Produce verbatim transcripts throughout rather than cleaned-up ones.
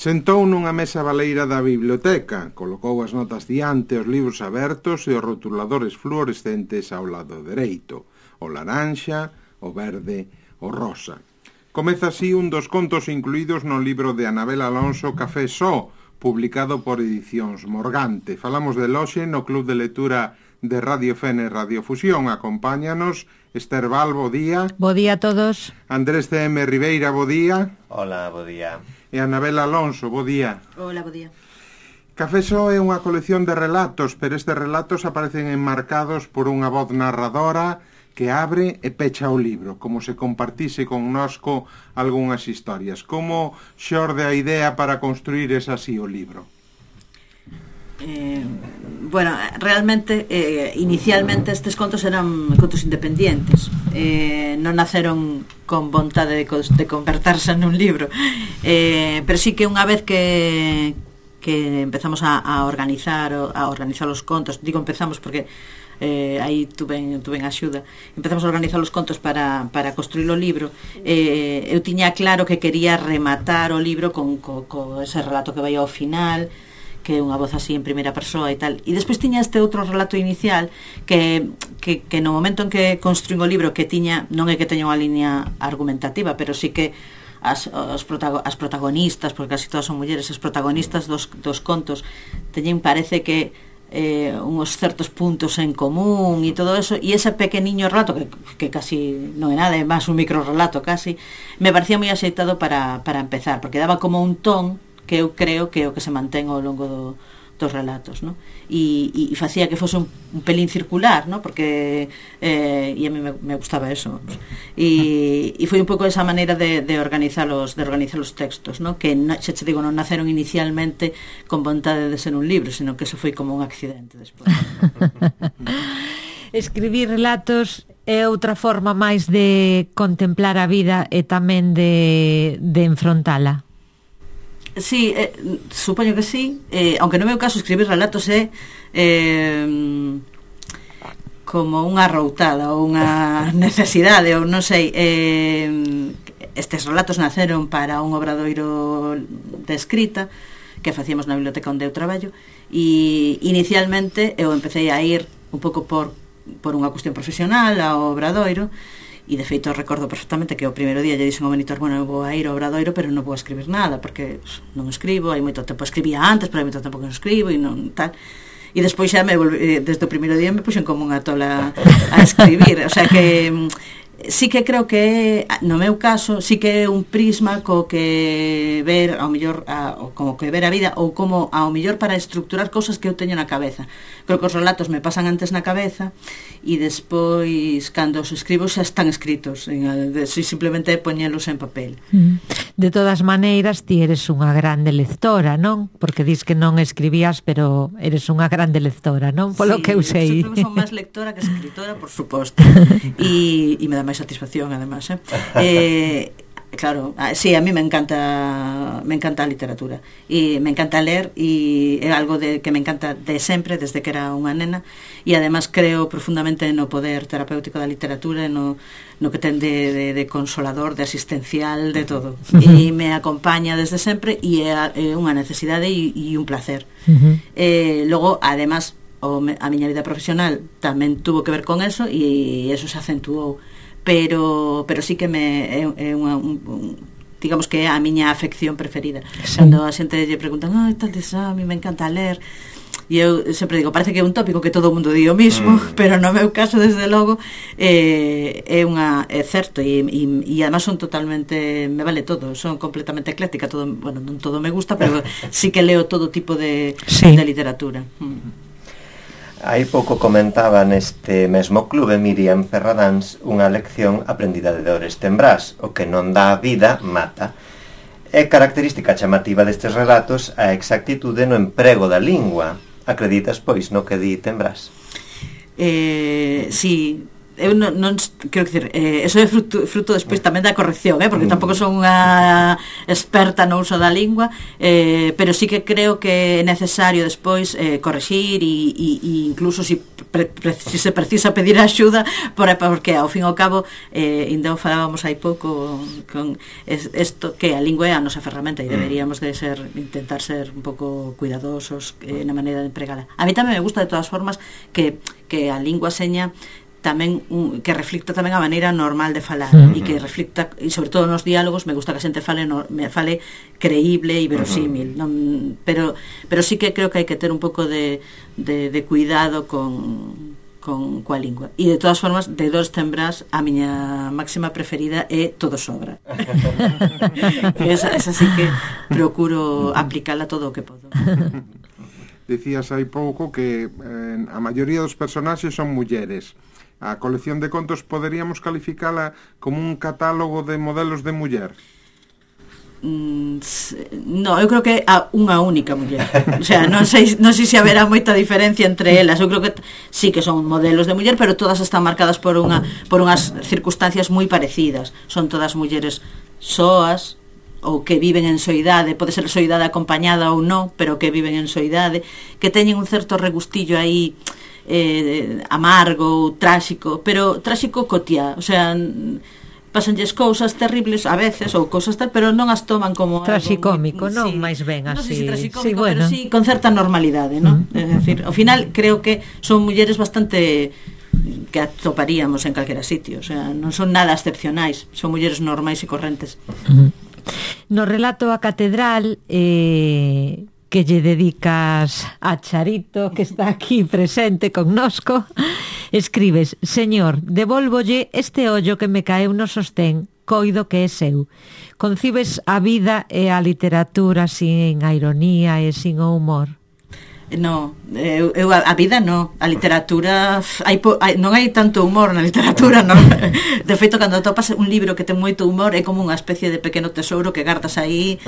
Sentou nunha mesa baleira da biblioteca, colocou as notas diante, os libros abertos e os rotuladores fluorescentes ao lado dereito, o laranxa, o verde, o rosa. Comeza así un dos contos incluídos no libro de Anabel Alonso Café Só, publicado por Edicións Morgante. Falamos de hoxe no Club de Lectura de Radio Fene Radio Fusión. Acompáñanos Esther Val, bo día. Bo día a todos. Andrés C M Ribeira, bo día. Hola, bo día. E Anabel Alonso, bo día. Hola, bo día. Café Só é unha colección de relatos, pero estes relatos aparecen enmarcados por unha voz narradora que abre e pecha o libro, como se compartise connosco algunhas historias. Como xorde a idea para construir esa así o libro? Eh, bueno, realmente eh, inicialmente estes contos eran contos independientes, eh, non naceron con vontade de, de converterse nun libro, eh, pero sí que unha vez que que empezamos a, a organizar a organizar os contos, digo empezamos porque eh, aí tuve, tuve axuda, empezamos a organizar os contos para, para construir o libro. eh, eu tiña claro que quería rematar o libro con, con, con ese relato que vai ao final, que é unha voz así en primeira persoa e tal. E despois tiña este outro relato inicial que, que, que no momento en que construín o libro, que tiña, non é que teña unha liña argumentativa, pero sí que as, os protago, as protagonistas, porque casi todas son mulleres, as protagonistas dos, dos contos teñen, parece que eh, uns certos puntos en común e todo eso, e ese pequeniño relato que, que casi non é nada, é máis un micro relato casi, me parecía moi axeitado para, para empezar, porque daba como un ton que eu creo que é o que se mantén ao longo do, dos relatos, ¿no? E, e, e facía que fose un, un pelín circular, ¿no? Porque eh, e a mí me, me gustaba eso, vamos. E, e foi un pouco esa maneira de, de organizar os de organizar os textos, ¿no? Que no, xa te digo, non naceron inicialmente con vontade de ser un libro, sino que eso foi como un accidente despois. Escribir relatos é outra forma máis de contemplar a vida e tamén de, de enfrontala. Sí, eh, supoño que sí, eh, aunque no meu caso escribir relatos é eh, como unha arroutada ou unha necesidade ou non sei, eh, estes relatos naceron para un obradoiro de escrita que facíamos na biblioteca onde eu traballo, e inicialmente eu empecé a ir un pouco por, por unha cuestión profesional ao obradoiro. E de feito recordo perfectamente que o primeiro día lle dixen ao monitor, bueno, eu vou a ir ao obradoiro, pero non vou a escribir nada porque non escribo, hai moito tempo escribía antes, pero hai moito tempo que non escribo e non tal. E despois xa me volví, desde o primeiro día me puxen como unha tola a escribir, o sea que sí que creo que no meu caso sí que é un prisma co que ver ao mellor a, como que ver a vida, ou como ao mellor para estructurar cousas que eu teño na cabeza. Creo que os relatos me pasan antes na cabeza e despois cando os escribo xa están escritos, si simplemente poñelos en papel. De todas maneiras, ti eres unha grande lectora, non? Porque dis que non escribías, pero eres unha grande lectora, non? Polo sí, que eu sei. Sempre son máis lectora que escritora, por suposto. E, e me dá máis satisfacción, además, eh? eh Claro, sí, a mí me encanta me encanta a literatura e me encanta ler, e é algo de, que me encanta de sempre, desde que era unha nena, e además creo profundamente no poder terapéutico da literatura, no, no que ten de, de, de consolador, de asistencial, de todo. Uh-huh. E me acompaña desde sempre e é, é unha necesidade e, e un placer. Uh-huh. eh, Logo, además, o, a miña vida profesional tamén tuvo que ver con eso e eso se acentuou. pero pero sí que me é, é unha un, un, digamos que é a miña afección preferida. Sí. Cando a xente lle preguntan, "Ai, tal des, a mí me encanta ler." E eu sempre digo, parece que é un tópico que todo o mundo di o mismo, mm. pero no meu caso, desde logo, eh, é unha é certo, e, e, e además son totalmente, me vale todo, son completamente ecléctica, todo, bueno, non todo me gusta, pero sí que leo todo tipo de, sí. de literatura. Mm. Hai pouco comentaba neste mesmo clube Miriam Ferradáns unha lección aprendida de Oreste Embrás: o que non dá vida, mata. É característica chamativa destes relatos a exactitude no emprego da lingua. Acreditas, pois, no que di Embrás? Eh, sí, eu non, non quero dicir, eh, eso é fruto, fruto despois tamén da corrección, eh, porque tampouco son unha experta no uso da lingua, eh, pero sí que creo que é necesario despois eh, corregir e, e, e incluso si, pre, pre, si se precisa pedir axuda, por, porque ao fin e ao cabo eh, ainda o falábamos hai pouco con isto, que a lingua é a nosa ferramenta e deberíamos de ser, intentar ser un pouco cuidadosos eh, na maneira de empregala. A mí tamén me gusta de todas formas que, que a lingua seña tamén un, que reflicta tamén a maneira normal de falar uh-huh. e que reflicta, e sobre todo nos diálogos me gusta que a xente fale, no, me fale creíble e verosímil, uh-huh. non, pero pero sí que creo que hai que ter un pouco de, de, de cuidado con con coa lingua. E de todas formas, de Dos Tembrás, a miña máxima preferida é Todo Sobra. esa, esa sí que procuro aplicala todo o que podo. Dicías hai pouco que eh, a maioría dos personaxes son mulleres. A colección de contos poderíamos calificala como un catálogo de modelos de muller? Mm, no, eu creo que a unha única muller. O sea, non sei, non sei se haberá moita diferencia entre elas. Eu creo que sí que son modelos de muller, pero todas están marcadas por unha por unhas circunstancias moi parecidas. Son todas mulleres soas ou que viven en soidade, pode ser soidade acompañada ou non, pero que viven en soidade, que teñen un certo regustillo aí eh, amargo, tráxico, pero tráxico cotiá, o sea, pasanlles cousas terribles a veces ou cousas tal, pero non as toman como traxicómico, non? Sí, máis ben así. Non sei se traxicómico, sí, bueno. pero sí con certa normalidade, non? Uh-huh. É dicir, ao final creo que son mulleres bastante que atoparíamos en calquera sitio, o sea, non son nada excepcionais, son mulleres normais e correntes. Uh-huh. No relato A Catedral eh que lle dedicas a Charito, que está aquí presente connosco, escribes: Señor, devólvolle este ollo que me caeu no sostén, coido que é seu. Concibes a vida e a literatura sin a ironía e sin o humor? No, eu, eu a vida no, a literatura hai, hai, non hai tanto humor na literatura, non. De feito, cando topas un libro que ten moito humor é como unha especie de pequeno tesouro que gardas aí.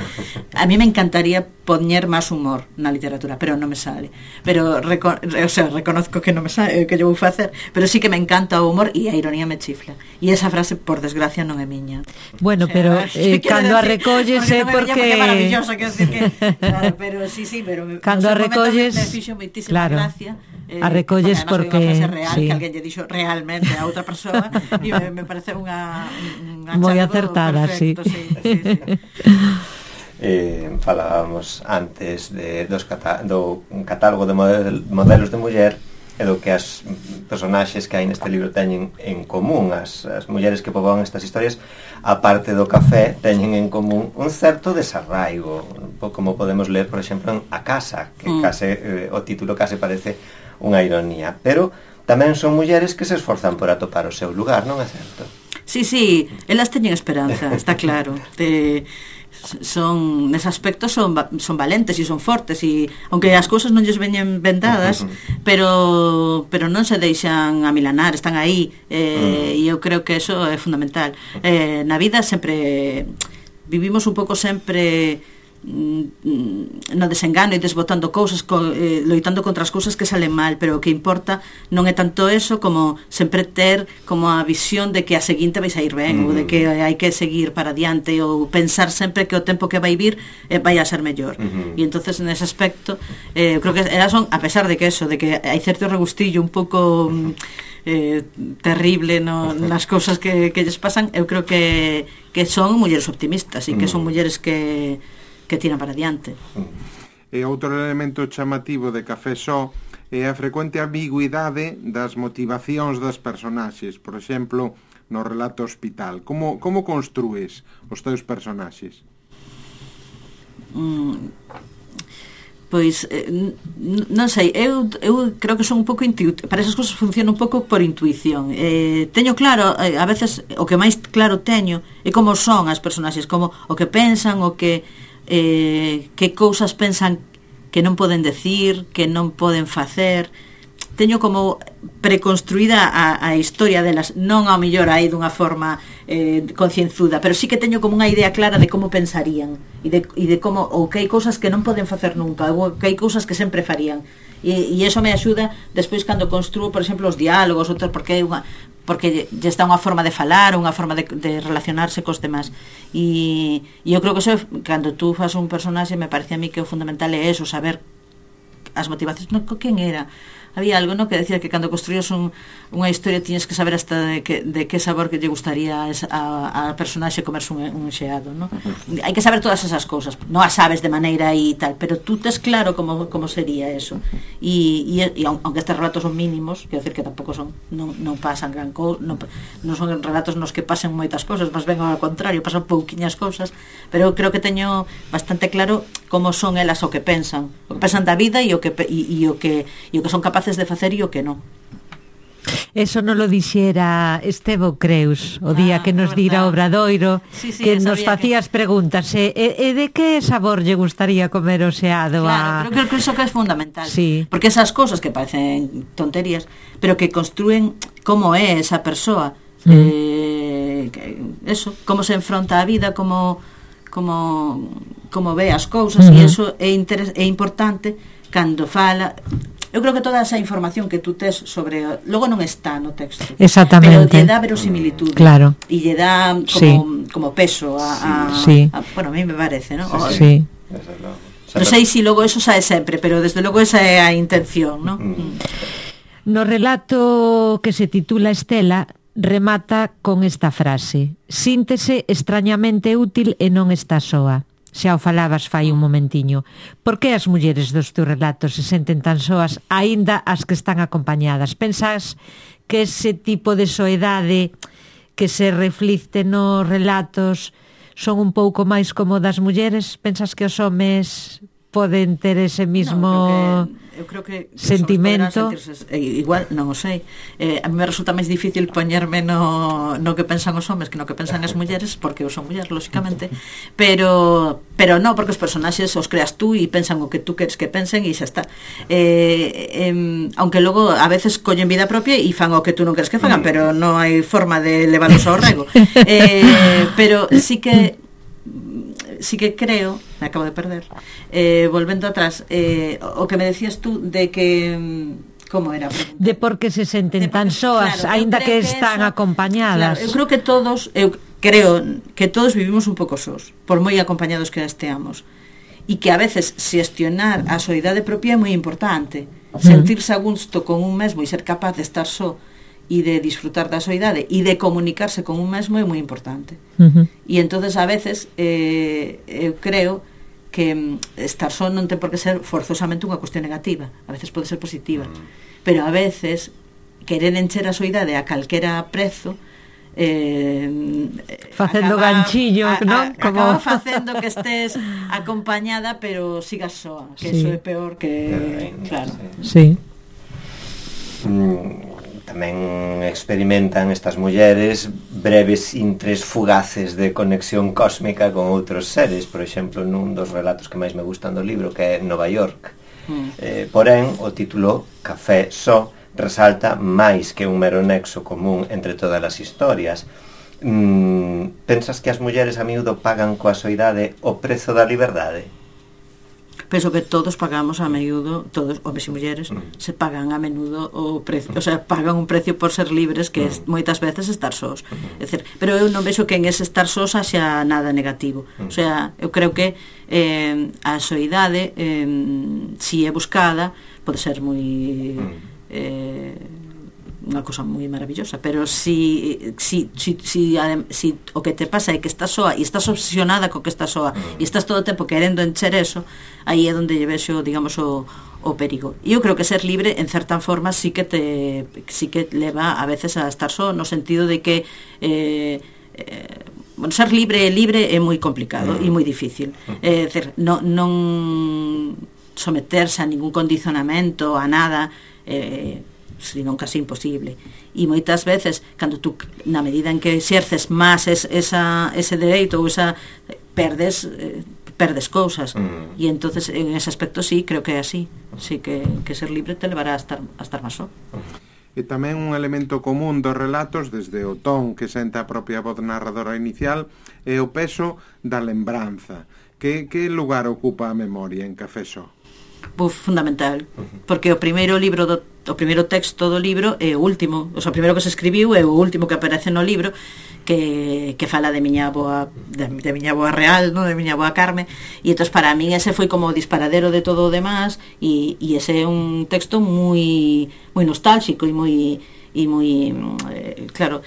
A mí me encantaría poñer máis humor na literatura, pero non me sale. Pero reco o sea, reconozco que non me sale, que yo vou facer, pero sí que me encanta o humor e a ironía me chifla. E esa frase, por desgracia, non é miña. Bueno, o sea, pero eh, cando a recolles é porque, porque... é maravilloso, quero decir que claro, pero sí, sí, pero cando a recolles me fixo moitísima claro, gracia, eh, a recolles porque, porque real, sí, que alguén lle dixo realmente a outra persoa e me, me parece unha, unha moi acertada, perfecto, sí. Sí, sí, sí. Eh, falábamos antes de, dos cata do un catálogo de model, modelos de muller e do que as personaxes que hai neste libro teñen en común. As, as mulleres que poboan estas historias, aparte do café, teñen en común un certo desarraigo, como podemos ler, por exemplo, en A Casa, que mm. case, eh, o título case parece unha ironía, pero tamén son mulleres que se esforzan por atopar o seu lugar, non é certo? Sí, sí, elas teñen esperanza, está claro. De... son nese aspecto son son valentes e son fortes e aunque as cousas non lles veñen vendadas, pero pero non se deixan amilanar, están aí eh, e eu creo que eso é fundamental. Eh, na vida sempre vivimos un pouco sempre no desengano e desbotando cousas, co, eh, loitando contra as cousas que salen mal, pero o que importa non é tanto eso como sempre ter como a visión de que a seguinte vai sair ben, mm. ou de que hai que seguir para diante, ou pensar sempre que o tempo que vai vir eh, vai a ser mellor. Mm-hmm. E entonces nese aspecto eh, eu creo que elas son, a pesar de que eso, de que hai certo regustillo un pouco eh, terrible no, nas cousas que, que lles pasan, eu creo que, que son mulleres optimistas e que son mulleres que que tiran para diante. E outro elemento chamativo de Café Só é a frecuente ambigüidade das motivacións das personaxes. Por exemplo, no relato Hospital. Como, como construes os teus personaxes? Mm, pois, eh, non sei, eu, eu creo que son un pouco intuitivo. Para esas cousas funciona un pouco por intuición. Eh, teño claro, eh, a veces, o que máis claro teño é como son as personaxes, como o que pensan, o que Eh, que cousas pensan que non poden decir, que non poden facer. Teño como preconstruída a, a historia delas, non ao mellor aí dunha forma eh, concienzuda, pero sí que teño como unha idea clara de como pensarían e de, e de como, ou que hai cousas que non poden facer nunca, ou que hai cousas que sempre farían, e, e eso me axuda despois cando construo, por exemplo, os diálogos, outros, porque hai unha porque lle está unha forma de falar, unha forma de, de relacionarse cos demás. E, e eu creo que eso, cando tú fas un personaxe, me parece a mí que o fundamental é eso, saber as motivacións. No, quen era? Había algo, no, que decía que cando construías un, unha historia tiñes que saber hasta de que, de que sabor que lle gustaría a, a, a personaxe comerse un, un xeado, no? Uh-huh. Hai que saber todas esas cousas, non as sabes de maneira aí tal, pero tú tes claro como, como sería eso. E, e, e aunque estes relatos son mínimos, quero decir que tampouco son, non, non pasan gran cousa, non, non son relatos nos que pasen moitas cousas, mas ben ao contrario, pasan pouquiñas cousas, pero creo que teño bastante claro como son elas o que pensan, o que pensan da vida e o que e, e o que e o que son capaces de facer e o que non. Eso non lo dixera Estevo Creus o día ah, que nos dira o Obradoiro, sí, sí, que nos facías que... preguntas e, e de que sabor lle gustaría comer o xeado. Claro, a... pero creo que iso que é fundamental, sí. Porque esas cousas que parecen tonterías, pero que construen como é esa persoa, mm. eh, que, eso, como se enfronta a vida, como como como ve as cousas, mm-hmm. E eso é, interes, é importante cando fala. Eu creo que toda esa información que tú tes sobre, logo non está no texto. Exactamente. Pero lle dá verosimilitud. Claro. E lle dá como, sí. como peso a, a, sí. a, bueno, a mí me parece, ¿no? Sí. sí. Non sei se si logo eso sae sempre, pero desde logo esa é a intención, ¿no? Mm. No relato que se titula Estela, remata con esta frase: síntese extrañamente útil e non está soa. Xa o falabas fai un momentiño. Por que as mulleres dos teus relatos se senten tan soas, aínda as que están acompañadas? Pensas que ese tipo de soedade que se reflicte nos relatos son un pouco máis como das mulleres? Pensas que os homes poden ter ese mismo no, eu creo que, eu creo que sentimento? Igual, non o sei. Eh, a mí me resulta máis difícil poñerme no, no que pensan os homes que no que pensan as mulleres, porque eu son muller, lóxicamente, pero pero non, porque os personaxes os creas tú e pensan o que tú queres que pensen e xa está. Eh, eh, aunque logo a veces collen vida propia e fan o que tú non queres que fagan, pero non hai forma de leválos ao rego. Eh, pero sí que sí que creo, me acabo de perder, eh, volvendo atrás, eh, o que me decías tú de que, como era? De por que se senten de tan soas, claro, aínda que, que están eso, acompañadas. Claro, eu creo que todos, eu creo que todos vivimos un pouco sós, por moi acompañados que esteamos, e que a veces xestionar a soidade propia é moi importante, uh-huh. Sentirse a gusto con un mesmo e ser capaz de estar só e de disfrutar da soidade e de comunicarse con un mesmo é moi importante. Uh-huh. E entonces a veces eh, eu creo que estar só non ten por que ser forzosamente unha cuestión negativa, a veces pode ser positiva, uh-huh. Pero a veces querer encher a soidade a calquera prezo eh, facendo acaba, ganchillo, a, a, non? Como... acaba facendo que estés acompañada pero sigas soa, que sí. Eso é peor que... Claro. Sí. Mm. Tamén experimentan estas mulleres breves intres fugaces de conexión cósmica con outros seres, por exemplo, nun dos relatos que máis me gustan do libro, que é Nova York. Mm. Eh, porén, o título Café Só resalta máis que un mero nexo común entre todas as historias. Mm, pensas que as mulleres a miúdo pagan coa soidade o prezo da liberdade? Penso que todos pagamos a menudo, todos, homes e mulleres, mm. se pagan a menudo o precio, o sea, pagan un precio por ser libres, que mm. é moitas veces estar sós. Mm. É dicir, pero eu non vexo que en ese estar sós haxa nada negativo. Mm. O sea, eu creo que eh, a soidade, eh, si é buscada, pode ser moi... Eh, unha cosa moi maravillosa, pero si si, si, si, si o que te pasa é que estás soa e estás obsesionada co que estás soa e estás todo o tempo querendo encher eso, aí é onde lle vexo, digamos, o, o perigo. E eu creo que ser libre, en certa forma, sí que te sí que leva a veces a estar só, no sentido de que eh, eh, bueno, ser libre libre é moi complicado e moi difícil. É dicir, non, non someterse a ningún condicionamento, a nada, eh, senón casi imposible. E moitas veces, cando tú, na medida en que exerces máis es, esa, ese dereito ou esa, perdes eh, perdes cousas mm. e entonces en ese aspecto sí, creo que é así, sí que, que ser libre te levará a estar, a estar máis só. E tamén un elemento común dos relatos, desde o ton que senta a propia voz narradora inicial, é o peso da lembranza. Que, que lugar ocupa a memoria en Café Só? Buf, fundamental, porque o primeiro libro do, o primeiro texto do libro é o último, o sea, o primeiro que se escribiu é o último que aparece no libro, que, que fala de miña avoa de, de miña avoa real, ¿no? De miña avoa Carme, e entón para min ese foi como o disparadero de todo o demás, e, e ese é un texto moi moi nostálxico e moi e moi eh, claro,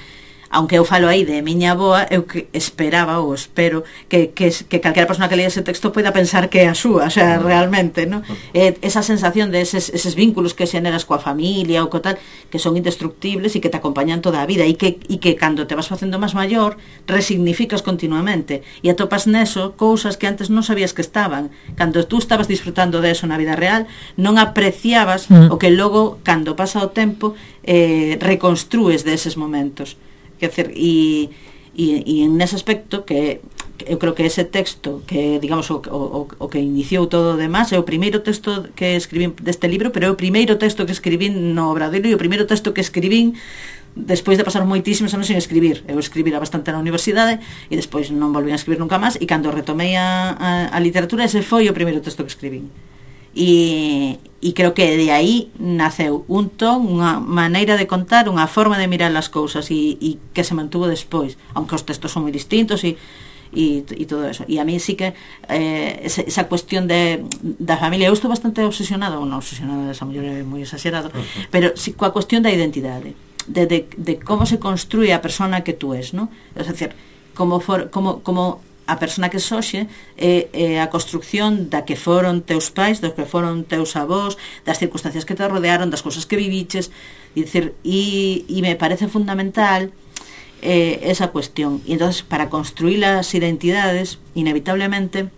aunque eu falo aí de miña avoa, eu que esperaba ou espero que, que, que calquera persona que lea ese texto poida pensar que é a súa, o sea, realmente, ¿no? Eh, esa sensación de eses, eses vínculos que xeneras coa familia ou co tal, que son indestructibles e que te acompañan toda a vida, e que, e que cando te vas facendo máis maior resignificas continuamente e atopas neso cousas que antes non sabías que estaban. Cando tú estabas disfrutando de eso na vida real, non apreciabas mm. o que logo, cando pasa o tempo, eh, reconstrues deses momentos. Quer dizer, e, e, e en ese aspecto que, que eu creo que ese texto que, digamos, o, o, o que iniciou todo o demás é o primeiro texto que escribín deste libro, pero é o primeiro texto que escribín no Obradoiro e o primeiro texto que escribín despois de pasar moitísimos anos sin escribir. Eu escribira bastante na universidade e despois non volvín a escribir nunca máis, e cando retomei a, a, a literatura, ese foi o primeiro texto que escribín. E, e creo que de aí naceu un ton, unha maneira de contar, unha forma de mirar as cousas, e, e que se mantuvo despois, aunque os textos son moi distintos e, e, e todo eso. E a mí sí que eh, esa, esa cuestión de, da familia, eu estou bastante obsesionada, ou non obsesionada, esa muller é moi exagerado, uh-huh. pero sí coa cuestión da identidade, de, de, de como se construye a persona que tú es, ¿no? Es decir, como, for, como, como a persona que soxe é, é a construcción da que foron teus pais, dos que foron teus avós, das circunstancias que te rodearon, das cousas que viviches, e dicir, e, e me parece fundamental eh, esa cuestión. E entonces, para construir as identidades, inevitablemente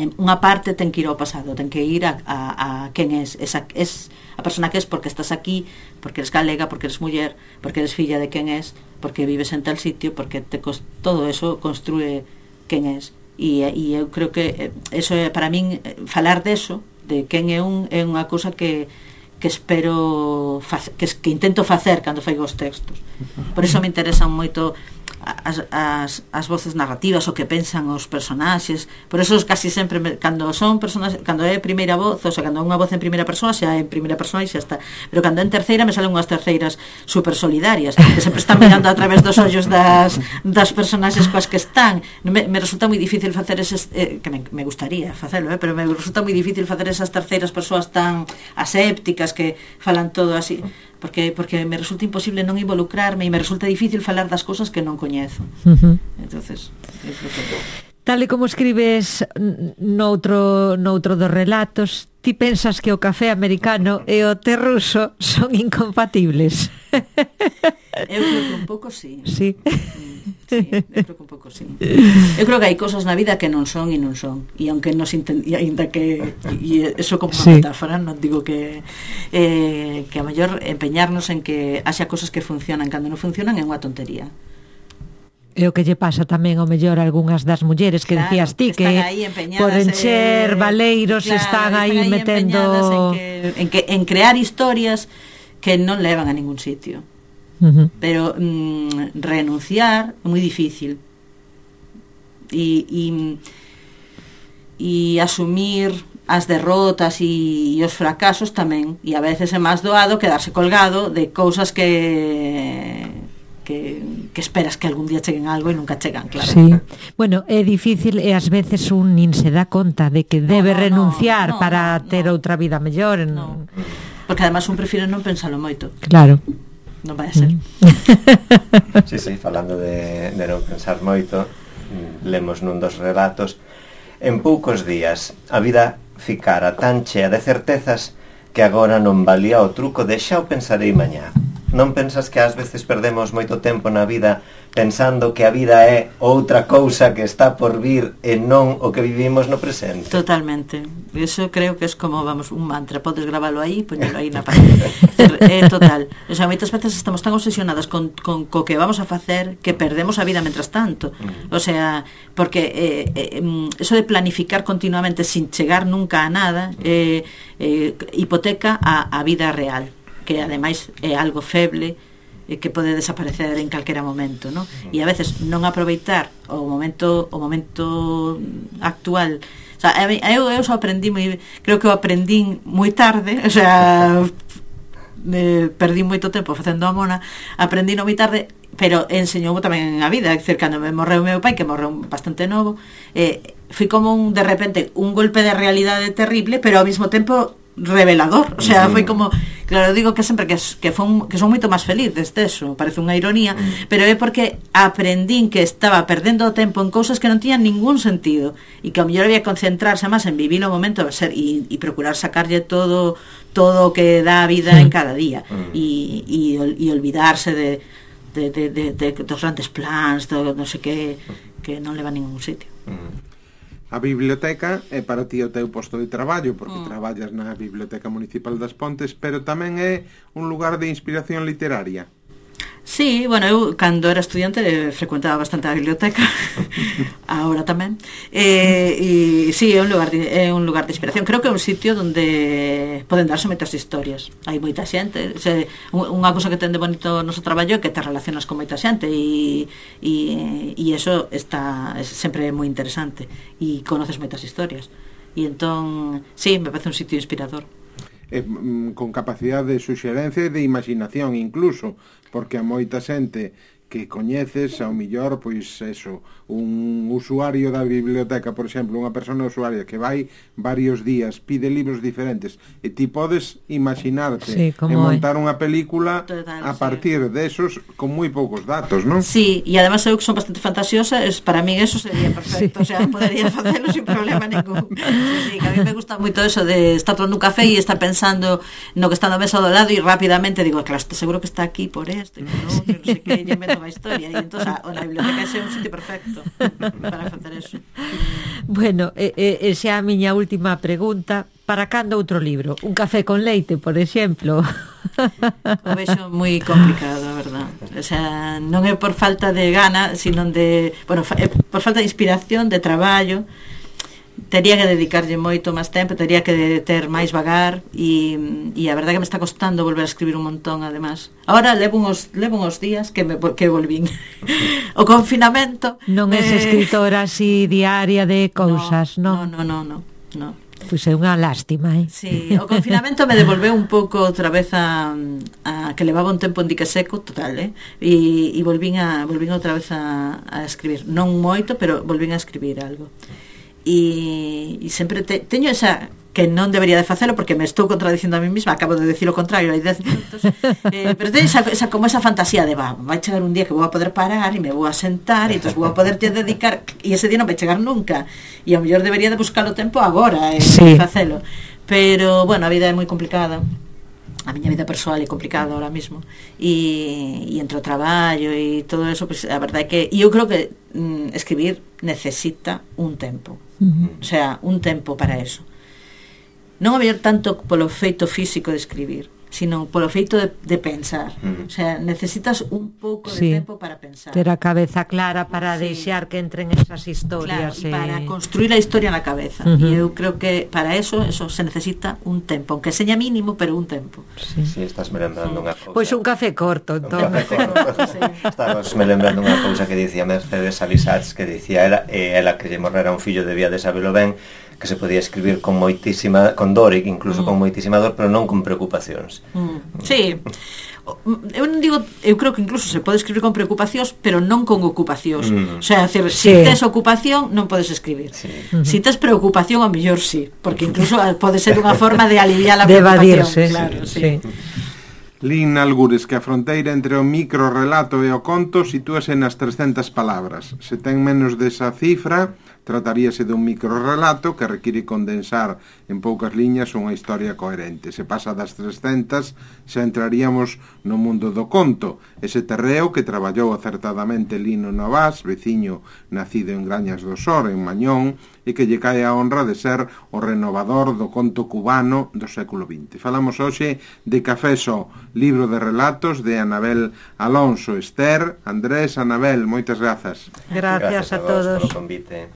unha parte ten que ir ao pasado, ten que ir a, a, a quen es, esa, es a persona que es porque estás aquí, porque eres galega, porque eres muller, porque eres filla de quen es, porque vives en tal sitio, porque te todo eso construe quen es. E, e eu creo que eso é, para min, falar deso, de quen é un, é unha cousa que que espero que, que intento facer cando faigo os textos. Por iso me interesan moito as, as, as voces narrativas, o que pensan os personaxes. Por eso casi sempre me, cando son personas, cando é primeira voz, ou sea, cando é unha voz en primeira persoa, xa é en primeira persoa e xa está. Pero cando é en terceira me salen unhas terceiras super solidarias, que sempre están mirando a través dos ollos das, das personaxes coas que están. Me, me resulta moi difícil facer eses, eh, que me, me gustaría facelo, eh, pero me resulta moi difícil facer esas terceiras persoas tan asépticas que falan todo así, porque porque me resulta imposible non involucrarme e me resulta difícil falar das cousas que non coñezo. Uh-huh. Entonces, eu creo que tal e como escribes noutro, noutro dos relatos, ti pensas que o café americano e o té ruso son incompatibles? Eu creo que un pouco sí. Sí. Sí, eu creo que un pouco sí. Eu creo que hai cosas na vida que non son e non son. E aunque nos entendía, ainda que e eso como unha sí. metáfora, non digo que eh, que a mellor empeñarnos en que haxa cosas que funcionan cando non funcionan é unha tontería. É o que lle pasa tamén ao mellor a algunhas das mulleres que claro, decías ti que, que por encher eh, valeiros claro, están aí, están aí metendo en que, en que en crear historias que non levan a ningún sitio. Uh-huh. Pero mm, renunciar é moi difícil. E e e asumir as derrotas e, e os fracasos tamén, e a veces é máis doado quedarse colgado de cousas que Que, que esperas que algún día cheguen algo e nunca chegan, claro. Sí. Bueno, é difícil e ás veces un nin se dá conta de que debe no, no, renunciar no, no, para no, ter no. outra vida mellor. No. Porque además un prefire non pensalo moito. Claro. Non vai a ser. Sí, sí, falando de, de non pensar moito, lemos nun dos relatos: en poucos días a vida ficara tan chea de certezas que agora non valía o truco de xa o pensarei mañá. Non pensas que ás veces perdemos moito tempo na vida pensando que a vida é outra cousa que está por vir e non o que vivimos no presente? Totalmente. Eso creo que é como, vamos, un mantra. Podes gravalo aí, poñelo aí na página. É total. O sea, moitas veces estamos tan obsesionadas con, con co que vamos a facer que perdemos a vida mentras tanto. O sea, porque eh, eh, eso de planificar continuamente sin chegar nunca a nada eh, eh, hipoteca a, a vida real, que ademais é algo feble e que pode desaparecer en calquera momento, ¿no? E a veces non aproveitar o momento o momento actual sea, eu, eu só aprendí moi, creo que eu aprendí moi tarde, o sea, eh, perdí moito tempo facendo a mona, aprendí moi tarde, pero enseñou tamén a vida, é dicir, cando me morreu meu pai, que morreu bastante novo, eh, fui como un, de repente, un golpe de realidade terrible, pero ao mesmo tempo revelador, o sea, foi como, claro, digo que sempre que, que, fun, que son moito máis feliz desde eso, parece unha ironía, mm. pero é porque aprendín que estaba perdendo o tempo en cousas que non tiñan ningún sentido e que ao mellor había que concentrarse máis en vivir o momento ser, e, e procurar sacarlle todo todo o que dá a vida mm. en cada día mm. e, e, e olvidarse de, de, de, de, de dos grandes plans, do non sei que, que non leva a ningún sitio. Mm. A biblioteca é para ti o teu posto de traballo, porque mm. traballas na Biblioteca Municipal das Pontes, pero tamén é un lugar de inspiración literaria. Sí, bueno, eu cando era estudiante eh, frecuentaba bastante a biblioteca. Agora tamén. Eh, e sí, é un lugar de, é un lugar de inspiración. Creo que é un sitio onde poden darse moitas historias. Hai moita xente, se, unha cousa que ten de bonito o noso traballo é que te relacionas con moita xente e e e eso está é sempre moi interesante e conoces moitas historias. E entón, sí, me parece un sitio inspirador. Eh, con capacidade de suxerencia e de imaginación incluso, porque a moita xente que coñeces, ao millor, pois eso, un usuario da biblioteca, por exemplo, unha persona usuaria que vai varios días, pide libros diferentes, e ti podes imaginarte sí, e montar unha película total, a partir sí. de esos con moi poucos datos, non? Sí, e además eu que son bastante fantasiosa, es, para mí eso sería perfecto, sí. O sea, podería facelo sin problema ningún. Sí, que a mí me gusta moito eso de estar tomando un café e estar pensando no que está na mesa do lado e rapidamente digo, claro, seguro que está aquí por esto, e por outro, non sei que, e invento a historia, e entón a, a biblioteca é un sitio perfecto para facer eso. Bueno, e, e, xa a miña última pregunta, para cando outro libro? Un café con leite, por exemplo? O vexo moi complicado, a verdad. O sea, non é por falta de gana, sino de, bueno, é por falta de inspiración, de traballo. Tería que dedicarlle moito máis tempo, tería que ter máis vagar e, e a verdade que me está costando volver a escribir un montón, además. Ahora levo uns, levo uns días que me que volvín. O confinamento... Non é eh... escritora así diaria de cousas, no, non? No, no, no, no, no. Pois é unha lástima, eh? Sí, o confinamento me devolveu un pouco outra vez a, a que levaba un tempo en dique seco, total, eh? E, e volvín, a, volvín outra vez a, a escribir. Non moito, pero volvín a escribir algo. E, e sempre te, teño esa que non debería de facelo porque me estou contradicindo a mí mesma, acabo de decir o contrario hai dez minutos, eh, pero teño esa, esa, como esa fantasía de va, vai chegar un día que vou a poder parar e me vou a sentar e entón vou a poder te dedicar e ese día non vai chegar nunca e ao mellor debería de buscar o tempo agora e sí. facelo, pero bueno, a vida é moi complicada, a miña vida persoal é complicada ahora mismo e, e entre o traballo e todo eso, pues, a verdade é que e eu creo que mm, escribir necesita un tempo, uh-huh. O sea, un tempo para eso, non a mellor tanto polo feito físico de escribir, sino polo feito de, de pensar, uh-huh. O sea, necesitas un pouco sí. de tempo para pensar, ter a cabeza clara para sí. deixar que entren esas historias, claro, e para construir a historia na cabeza, uh-huh. E eu creo que para eso eso se necesita un tempo, aunque seña mínimo, pero un tempo. Sí, sí, estás me lembrando unha cousa. Pois un café corto, entón. Un café corto. Sí. Estamos me lembrando unha cousa que dicía Mercedes Alisats, que dicía ela, e ela que lle morrera un fillo debía de sabelo ben, que se podía escribir con moitísima, con dor, incluso mm. con moitísima dor, pero non con preocupacións. Mm. Sí. Eu non digo, eu creo que incluso se pode escribir con preocupacións, pero non con ocupacións. Mm. O sea, decir, sí. Se tes ocupación non podes escribir. Sí. Uh-huh. Se tes preocupación, ao mellor sí, porque incluso pode ser unha forma de aliviar a de preocupación, evadirse, claro, sí. sí. Lin Algures que a fronteira entre o microrelato e o conto sitúase nas trescentas palabras. Se ten menos desa cifra, trataríase dun microrelato que require condensar en poucas liñas unha historia coherente. Se pasa das trescentas, xa entraríamos no mundo do conto, ese terreo que traballou acertadamente Lino Novás, veciño nacido en Grañas do Sor, en Mañón, e que lle cae a honra de ser o renovador do conto cubano do século vinte. Falamos hoxe de Café Só, libro de relatos de Anabel Alonso. Esther, Andrés, Anabel, moitas grazas. Gracias, gracias a, a todos. Por o convite.